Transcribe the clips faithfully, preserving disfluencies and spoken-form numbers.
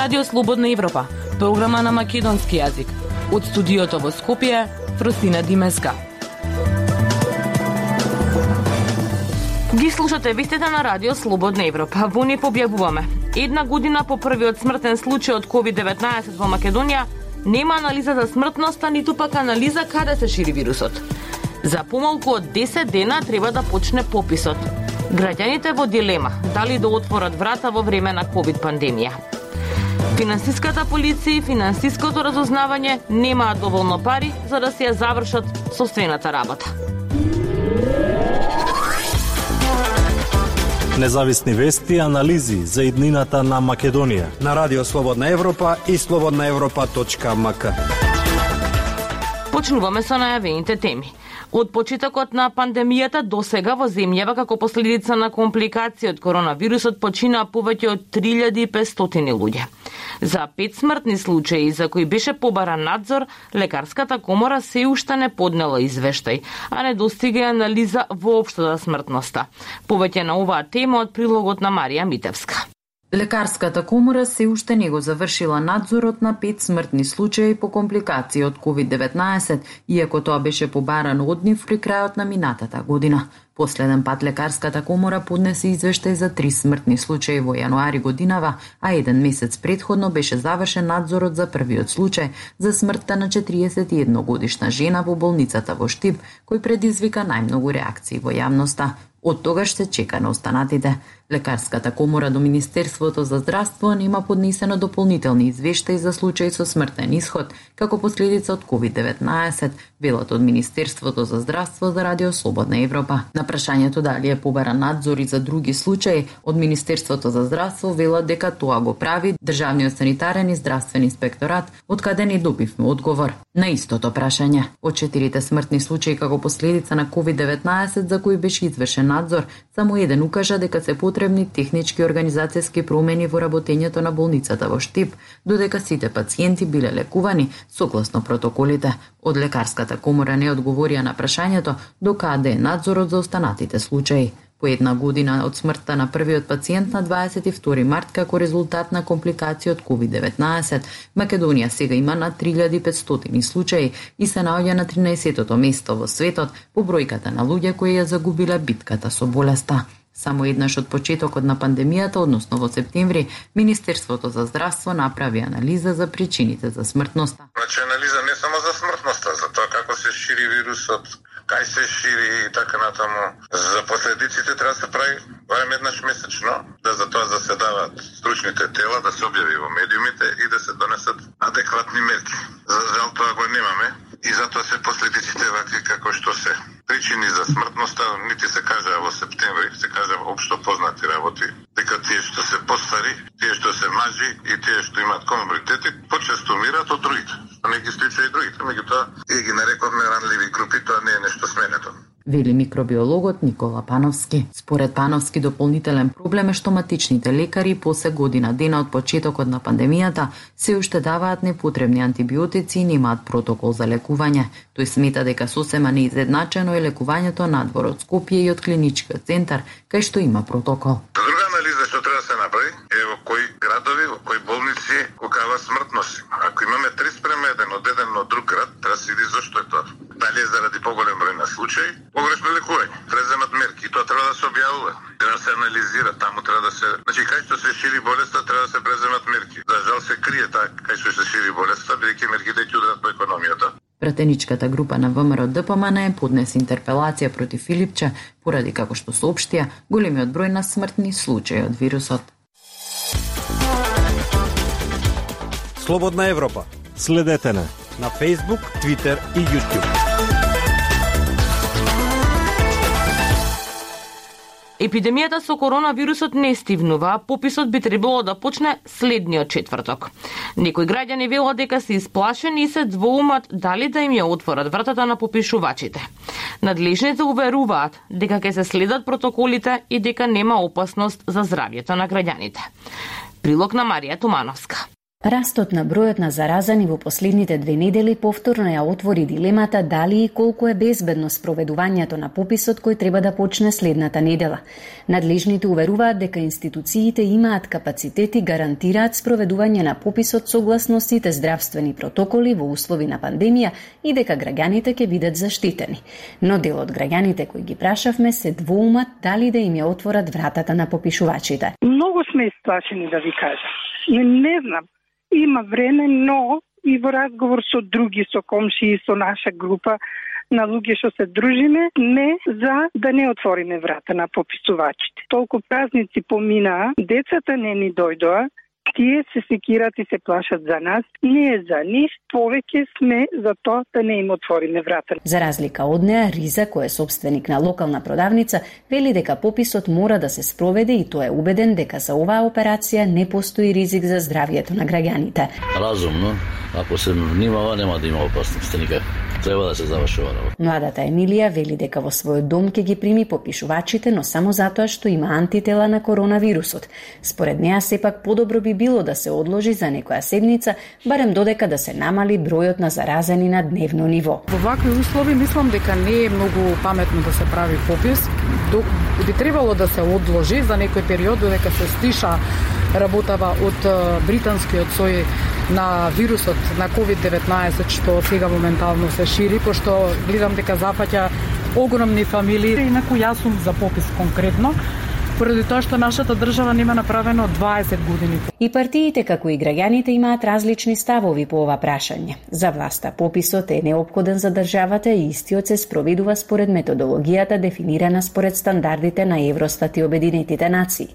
Радио Слободна Европа, програма на македонски јазик. Од студиото во Скопје, Фростина Димеска. Ги слушате вестите на Радио Слободна Европа. Во не објавуваме. Една година по првиот смртен случај од ковид деветнаесет во Македонија, нема анализа за смртноста, ниту пак анализа каде се шири вирусот. За помалку од десет дена треба да почне пописот. Граѓаните во дилема дали да отворат врата во време на ковид пандемија. Финансиската полиција и финансиското разузнавање немаат доволно пари за да се ја завршат соствената работа. Независни вести и анализи за иднината на Македонија на Радио Слободна Европа и слободна европа точка ем ка. Почнуваме со најавените теми. Од почетокот на пандемијата до сега во земјава како последица на компликации од коронавирусот починаа повеќе од три илјади и петстотини луѓе. За пет смртни случаи за кои беше побаран надзор, лекарската комора се уште не поднела извештај, а не достига анализа воопшто за смртноста. Повеќе на оваа тема од прилогот на Марија Митевска. Лекарската комора се уште не го завршила надзорот на пет смртни случаи по компликации од ковид деветнаесет, иако тоа беше побарано од нив при крајот на минатата година. Последен пат лекарската комора поднесе извештај за три смртни случаи во јануари годинава, а еден месец претходно беше завршен надзорот за првиот случај за смртта на четириесет и една годишна жена во болницата во Штип, кој предизвика најмногу реакции во јавноста. Од тогаш се чека на останатите. Лекарската комора до Министерството за здравство нема поднесено дополнителни извештаи за случаи со смртен исход како последица од ковид деветнаесет, велат од Министерството за здравство за Радио Слободна Европа. На прашањето дали е побаран надзор и за други случаи, од Министерството за здравство велат дека тоа го прави Државниот санитарен и здравствен инспекторат, од каде не добивме одговор на истото прашање. Од четирите смртни случаи како последица на ковид деветнаесет за кои беше извршен надзор, само еден укажа дека се потребни технички и организацијски промени во работењето на болницата во Штип, додека сите пациенти биле лекувани согласно протоколите. Од лекарската комора не одговорија на прашањето до каде е надзорот за останатите случаи. По една година од смртта на првиот пациент на дваесет и втори март како резултат на компликации од ковид деветнаесет, Македонија сега има на три илјади и петстотини случаи и се наоѓа на тринаесеттото место во светот по бројката на луѓе кои ја загубиле битката со болеста. Само еднаш од почетокот на пандемијата, односно во септември, Министерството за здравство направи анализа за причините за смртноста. Значи анализа не само за смртноста, за тоа како се шири вирусот, кај се шири и така натаму. За последиците треба да се прави барем еднаш месечно, да за тоа заседаваат стручните тела, да се објави во медиумите и да се донесат адекватни мерки. За жал тоа го немаме и затоа се последиците вакви како што се. Причини за смртноста нити се кажа во септември, се кажа општо познати работи, дека тие што се постари, тие што се мажи и тие што имаат коморбидити, почесто умираат од другите. Не ги стича и другите, меѓутоа и ги нарековме ранливи групи, тоа не е нешто сменето. Вели микробиологот Никола Пановски. Според Пановски, дополнителен проблем е што матичните лекари после година дена од почетокот на пандемијата се уште даваат непотребни антибиотици и немаат протокол за лекување. Тој смета дека сосема неизедначено е лекувањето надвор од Скопје и од клиничкиот центар, кај што има протокол. Друга анализа што треба да се направи е во кои градови, во кои болници колкава смртност. Ако имаме три спрема еден од еден од друг град, треба да се види зошто е тоа. Дали е заради поголем број на случаи, погрешно лекување, преземат мерки и тоа треба да се објавува, треба да се анализира, таму треба да се, значи кај што се шири болеста треба да се преземат мерки. За жал се крие таа кај што се шири болеста, бидејќи мерките ќе ударат по економијата. Пратеничката група на ВМРО Д П М Н поднесе интерпелација против Филипче поради како што соопштија големиот број на смртни случаи од вирусот. Слободна Европа. Следете на на Facebook, Twitter и YouTube. Епидемијата со коронавирусот не стивнува, а пописот би требало да почне следниот четврток. Некои граѓани велат дека се исплашени и се двоумат дали да им ја отворат вратата на попишувачите. Надлежните уверуваат дека ќе се следат протоколите и дека нема опасност за здравјето на граѓаните. Прилог на Марија Тумановска. Растот на бројот на заразани во последните две недели повторно ја отвори дилемата дали и колку е безбедно спроведувањето на пописот кој треба да почне следната недела. Надлежните уверуваат дека институциите имаат капацитет и гарантираат спроведување на пописот согласно сите здравствени протоколи во услови на пандемија и дека граѓаните ќе бидат заштитени. Но дел од граѓаните кои ги прашавме се двоумат дали да им ја отворат вратата на попишувачите. Многу сме исплашени, да ви кажам. Не, не знам. Има време, но и во разговор со други, со комши и со наша група на луѓе што се дружиме, не за да не отвориме врата на пописувачите. Толку празници поминаа, децата не ни дојдоа, тие се секират и се плашат за нас, не за нив, повеќе сме за тоа да не им отвориме врата. За разлика од неа, Риза, кој е собственик на локална продавница, вели дека пописот мора да се спроведе и тој е убеден дека за оваа операција не постои ризик за здравјето на граѓаните. Разумно, ако се внимава, нема да има опасности никак. Треба да се заврши ова работа. Младата Емилија вели дека во својот дом ќе ги прими попишувачите, но само затоа што има антитела на коронавирусот. Според неа сепак подобро би било да се одложи за некоја седмица, барем додека да се намали бројот на заразени на дневно ниво. Во вакви услови мислам дека не е многу паметно да се прави попис. Би требало да се одложи за некој период додека се стиша работава од британскиот сој на вирусот на ковид деветнаесет што сега моментално се шири, пошто гледам дека зафаќа огромни фамилии, инаку јас сум за попис конкретно, поради тоа што нашата држава нема направено дваесет години. И партиите, како и граѓаните, имаат различни ставови по ова прашање. За власта пописот е неопходен за државата и истиот се спроведува според методологијата дефинирана според стандардите на Евростат и Обединетите нации.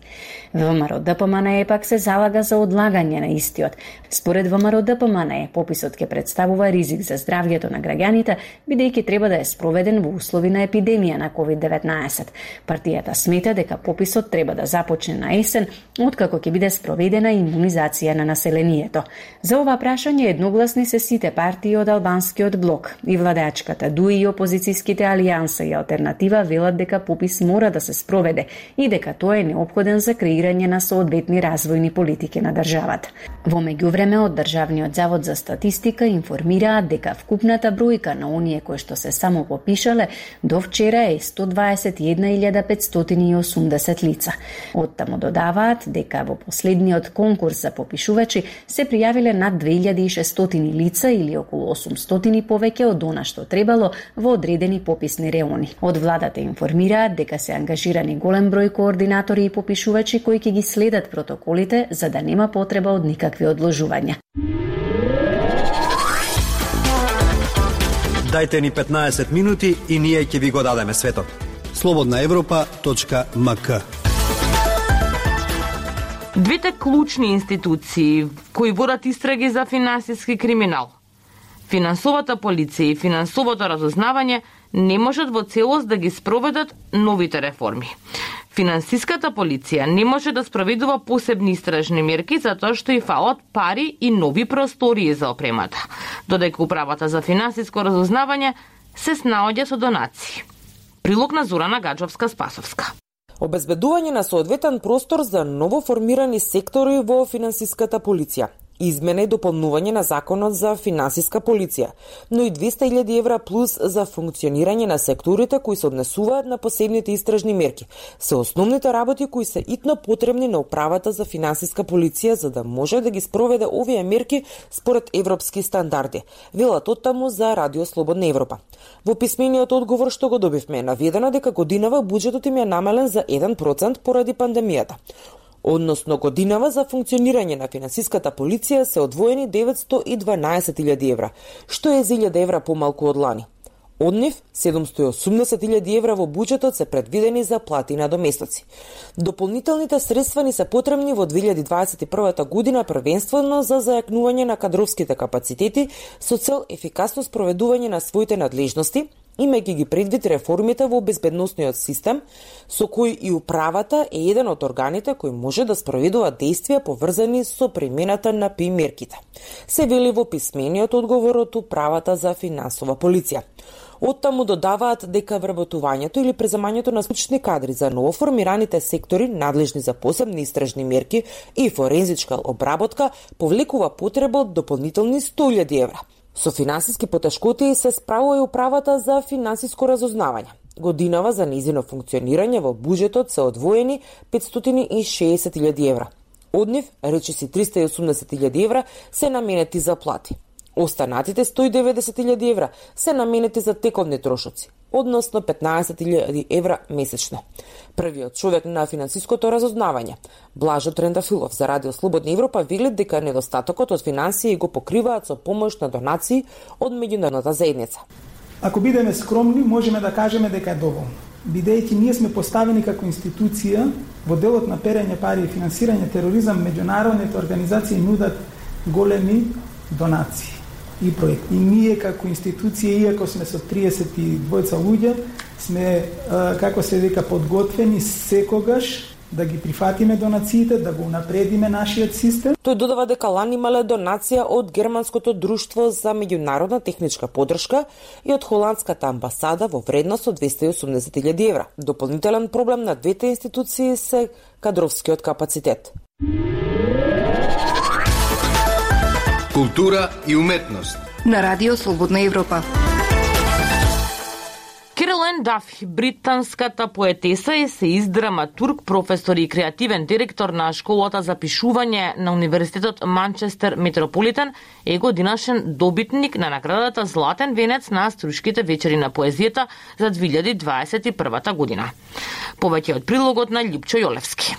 ВМРО-ДПМНЕ пак се залага за одлагање на истиот. Според ВМРО-ДПМНЕ, пописот ќе представува ризик за здравјето на граѓаните, бидејќи треба да е спроведен во услови на епидемија на ковид деветнаесет. Партијата смета дека пописот треба да започне на есен, откако ќе биде спроведена имунизација на населението. За ова прашање едногласни се сите партии од албанскиот блок. И владеачката ДУИ и опозицијските алијанса и алтернатива велат дека попис мора да се спроведе и дека тој е неопходен за креирање на соодветни развојни политики на државата. Во меѓувреме од Државниот завод за статистика информираат дека вкупната бројка на оние кои што се само попишале до вчера е сто дваесет и една илјада петстотини и осумдесет лица. Оттаму додаваат дека во последниот конкурс за попишувачи се пријавиле над две илјади и шестстотини лица или околу осумстотини повеќе од она што требало во одредени пописни реони. Од владата информираат дека се ангажирани голем број координатори и попишувачи кои ќе ги следат протоколите за да нема потреба од никакви одложувања. Дајте ни петнаесет минути и ние ќе ви го дадеме светот. слободна европа точка ем ка. Двете клучни институции кои водат истраги за финансиски криминал, финансовата полиција и финансовото разузнавање, не можат во целост да ги спроведат новите реформи. Финансиската полиција не може да спроведува посебни истражни мерки затоа што и фалат пари и нови простории за опремата, додека управата за финансиско разузнавање се снаоѓа со донации. Прилог на Зорана Гаджовска-Спасовска. Обезбедување на соодветен простор за новоформирани сектори во финансиската полиција. Измена и дополнување на законот за финансиска полиција, но и двесте илјади евра плюс за функционирање на секторите кои се однесуваат на посебните истражни мерки. Се основните работи кои се итно потребни на управата за финансиска полиција за да може да ги спроведе овие мерки според европски стандарди, велат оттаму за Радио Слободна Европа. Во писмениот одговор што го добивме е наведено дека годинава буџетот им е намален за еден процент поради пандемијата. Односно годинава за функционирање на финансиската полиција се одвоени деветстотини и дванаесет илјади евра, што е за илјада евра помалку од лани. Од нив, седумстотини и осумдесет илјади евра во буџетот се предвидени за плати на доместocи. Дополнителните средства ни се потребни во две илјади дваесет и прва година првенствено за зајакнување на кадровските капацитети со цел ефикасно спроведување на своите надлежности имајќи ги предвид реформите во безбедносниот систем, со кој и управата е еден од органите кои може да спроведува действија поврзани со примената на пи мерките. Се вели во писмениот одговор од управата за финансова полиција. Оттаму додаваат дека вработувањето или преземањето на стручни кадри за новоформираните сектори надлежни за посебни истражни мерки и форензичка обработка повлекува потреба од дополнителни сто илјади евра. Со финансиски потешкоти се справува и управата за финансиско разузнавање. Годинава за нејзино функционирање во буџетот се одвоени петстотини и шеесет илјади евра. Од нив, речиси триста и осумдесет илјади евра се наменети за плати. Останатите сто и деветдесет илјади евра се наменети за тековни трошоци, односно петнаесет илјади евра месечно. Првиот човек на финансиското разузнавање, Блажо Трендафилов за Радио Слободна Европа, вели дека недостатокот од финансии го покриваат со помош на донации од меѓународната заедница. Ако бидеме скромни, можеме да кажеме дека е доволно. Бидејќи ние сме поставени како институција во делот на перење пари и финансирање тероризам, меѓународните организации нудат големи донации и проекти. И ние како институција, иако сме со триесет и двајца луѓе, сме, како се века, подготвени секогаш да ги прифатиме донациите, да го унапредиме нашиот систем. Тој додава дека лани имале донација од Германското друштво за меѓународна техничка поддршка и од Холандската амбасада во вредност од двесте и осумдесет илјади евра. Дополнителен проблем на двете институции се кадровскиот капацитет. Култура и уметност на Радио Слободна Европа. Керолин Дафи, британската поетеса, есеист, драматург, професор и креативен директор на школата за пишување на Универзитетот Манчестер Метрополитен, е годинашен добитник на наградата Златен венец на Струшките вечери на поезијата за две илјади дваесет и прва година. Повеќе од прилогот на Љупчо Јолевски.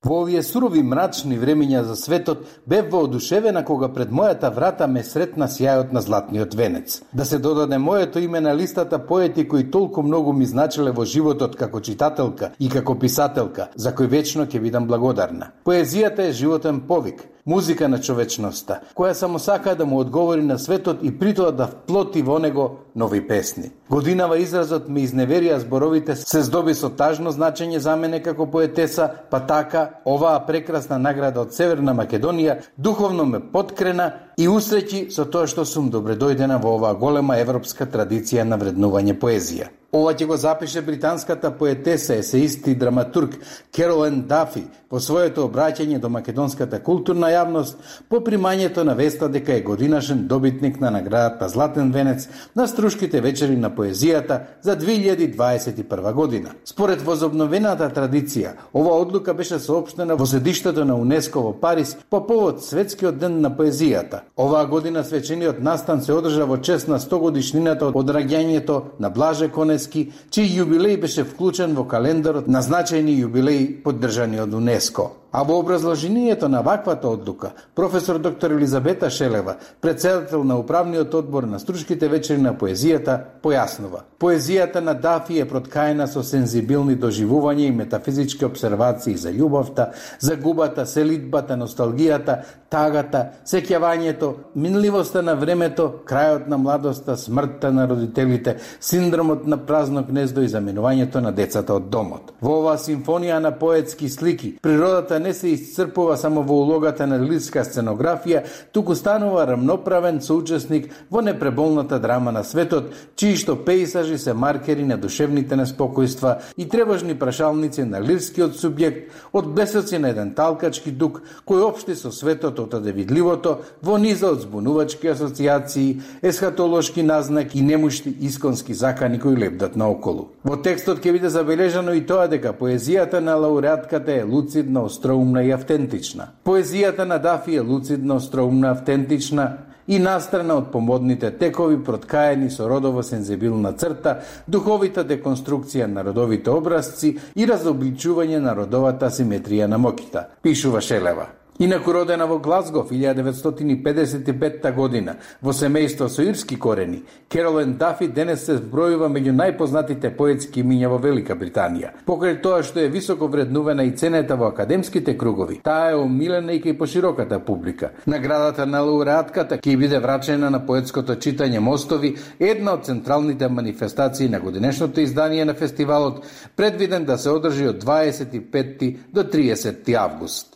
Во овие сурови мрачни времења за светот бев воодушевена кога пред мојата врата ме сретна сјајот на златниот венец. Да се додаде моето име на листата поети кои толку многу ми значеле во животот како читателка и како писателка, за кој вечно ќе бидам благодарна. Поезијата е животен повик, музика на човечноста, која само сака да му одговори на светот и притоа да вплоти во него нови песни. Годинава изразот ме изневерија зборовите се здоби со тажно значење за мене како поетеса, па така оваа прекрасна награда од Северна Македонија духовно ме поткрена и усреќи со тоа што сум добредојдена во оваа голема европска традиција на вреднување поезија. Ова ќе го запише британската поетеса, есеист и драматург Керолин Дафи во своето обраќање до македонската културна јавност по примањето на веста дека е годинашен добитник на наградата Златен венец на Струшките вечери на поезијата за две илјади дваесет и прва година. Според возобновената традиција, ова одлука беше соопштена во седиштето на УНЕСКО во Париз по повод Светскиот ден на поезијата. Оваа година свечениот настан се одржа во чест на сто годишнината од раѓањето на Блаже Конески, чиј јубилеј беше вклучен во календарот на значајни јубилеи поддржани од УНЕСКО. А во образложението на ваквата одлука, професор доктор Елизабета Шелева, председател на управниот одбор на Струшките вечери на поезијата, појаснува: поезијата на Дафи е проткаена со сензибилни доживувања и метафизички обсервации за љубовта, загубата, селидбата, носталгијата, тагата, сеќавањето, минливоста на времето, крајот на младоста, смртта на родителите, синдромот на празно гнездо и заминувањето на децата од домот. Во оваа симфонија на поетски слики, природата не се исцрпува само во улогата на лирска сценографија, туку станува рамноправен соучесник во непреболната драма на светот, чии што пејсажи се маркери на душевните неспокојства и тревожни прашалници на лирскиот субјект, од блесоци на еден талкачки дух кој општи со светот од одевидливото во низа од збунувачки асоциации, есхатолошки назнаки и немушти исконски закани кои лебдат наоколу. Во текстот ќе биде забележано и тоа дека поезијата на лауреатката е луцидна, остроумна и автентична. Поезијата на Дафи е луцидна, остроумна, автентична и настрана од помодните текови, проткаени со родово сензибилна црта, духовита деконструкција на родовите образци и разобличување на родовата асиметрија на моќта, пишува Шелева. Инаку родена во Глазгов илјада деветстотини и педесет и петта година во семејство со ирски корени, Керолин Дафи денес се збројува меѓу најпознатите поетски имиња во Велика Британија. Покрај тоа што е високо вреднувана и ценета во академските кругови, таа е омилена и кај пошироката публика. Наградата на лауреатката ќе биде врачена на поетското читање Мостови, една од централните манифестации на годинешното издание на фестивалот, предвиден да се одржи од дваесет и петти до триесетти август.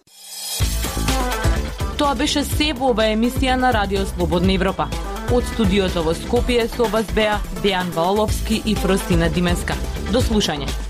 Тоа беше се во ова емисија на Радио Слободна Европа. Од студиото во Скопје со вас беа Дејан Ваоловски и Фростина Дименска. До слушање.